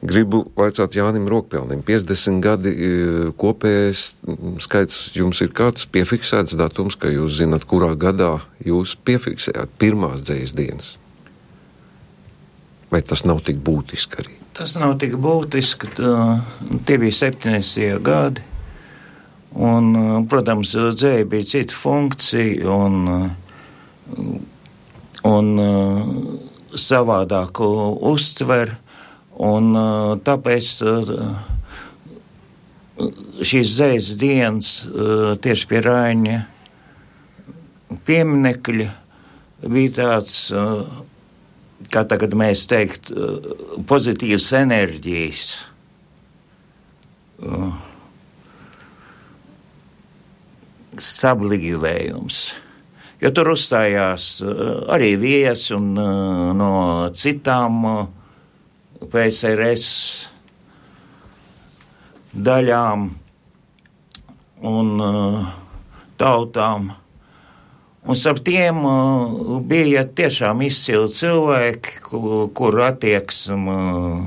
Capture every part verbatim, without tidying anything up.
Gribu vaicāt Jānim Rokpelnim. piecdesmit gadi kopējais skaits jums ir kāds piefiksēts datums, ka jūs zināt, kurā gadā jūs piefiksējāt pirmās dzejas dienas? Vai tas nav tik būtiski arī? Tas nav tik būtiski. Tā, tie bija septiņdesmitie gadi. Un, protams, dzēja bija cita funkcija un, un savādāk uztver. Un tāpēc šīs dzejas dienas tieši pie Raņa pieminekļa bija tāds, kā tagad mēs teikt, pozitīvas enerģijas. Sablīvējums. Jo tur uzstājās arī viesi un no citām P S R S daļām un uh, tautām. Un starp tiem uh, bija tiešām izcili cilvēki, kur, kur attieksme uh,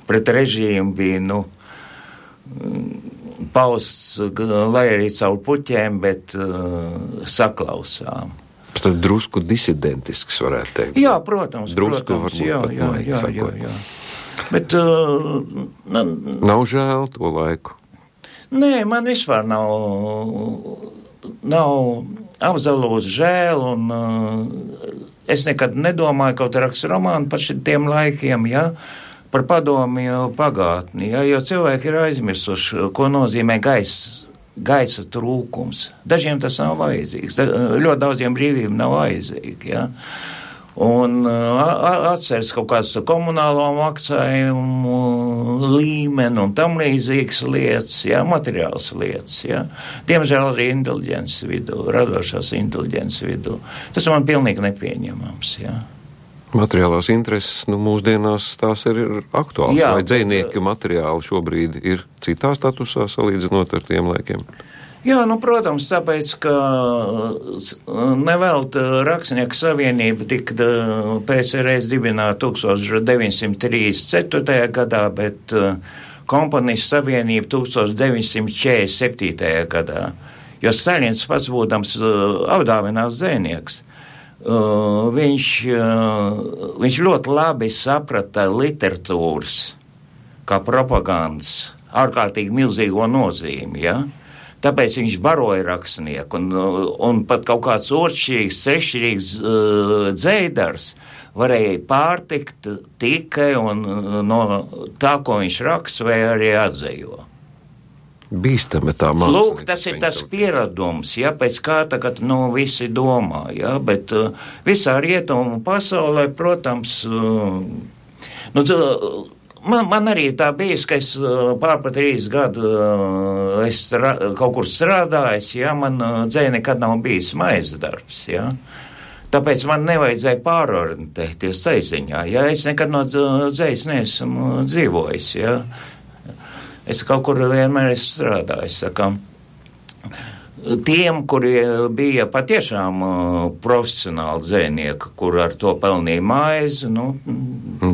pret režīmu bija, nu, pausts, lai arī caur puķiem, bet uh, saklausām. Tad drusku disidentisks, varētu teikt. Jā, protams, drusku protams, jā, jā, jā, jā, jā. Bet, uh, na, nav žēl to laiku? Nē, man vispār nav, nav absolūti žēl, un uh, es nekad nedomāju, kaut rakstu romānu par šitiem laikiem, ja, par padomju pagātni, ja, jo cilvēki ir aizmirsuši, ko nozīmē gaisa, gaisa trūkums. Dažiem tas nav vajadzīgs, ļoti daudziem brīvību nav vajadzīgi, ja. Un atceras kaut kāds komunālo maksājumu līmeni un tam līdzīgas lietas, jā, materiāls lietas, jā. Diemžēl arī inteliģences vidū, radošās inteliģences vidū. Tas man pilnīgi nepieņemams, jā. Materiālās intereses, nu, mūsdienās tās ir aktuāls, jā, vai dzejnieki materiāli šobrīd ir citā statusā salīdzinot ar tiem laikiem? Jā, nu, protams, tāpēc, ka nevelta Rakstnieku savienība tika P S R S dibināta deviņdesmit trīsdesmit ceturtajā gadā, bet komponistu savienība deviņdesmit četrdesmit septītajā gadā. Jo Staļins pats būdams apdāvināts dzejnieks, viņš, viņš ļoti labi saprata literatūras kā propagandas ārkārtīgi milzīgo nozīmi, ja? Tāpēc viņš baroja rakstnieku, un, un pat kaut kāds otršķirīgs, treššķirīgs uh, dzejdars varēja pārtikt tikai un, no tā, ko viņš raksta, vai arī atzejo. Bīstami tā māksla. Lūk, tas ir tas pieradums, ja, pēc kā tagad, nu, visi domā, ja, bet uh, visā rietumu pasaulē, protams, uh, nu, Man, man arī tā bijis, ka es pār pa trīs gadu es strā, kaut kur strādājis, ja, man dzēja nekad nav bijis maizes darbs, ja. Tāpēc man nevajadzēja pārorientēties dzejziņā, ja, es nekad no dzējas neesmu dzīvojis, ja. Es kaut kur vienmēr esmu strādājis, tā kā. Tiem, kuri bija patiešām uh, profesionāli dzejnieki, kur ar to pelnīja maizi, nu,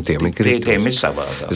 tiem ir, tiem ir savādāk.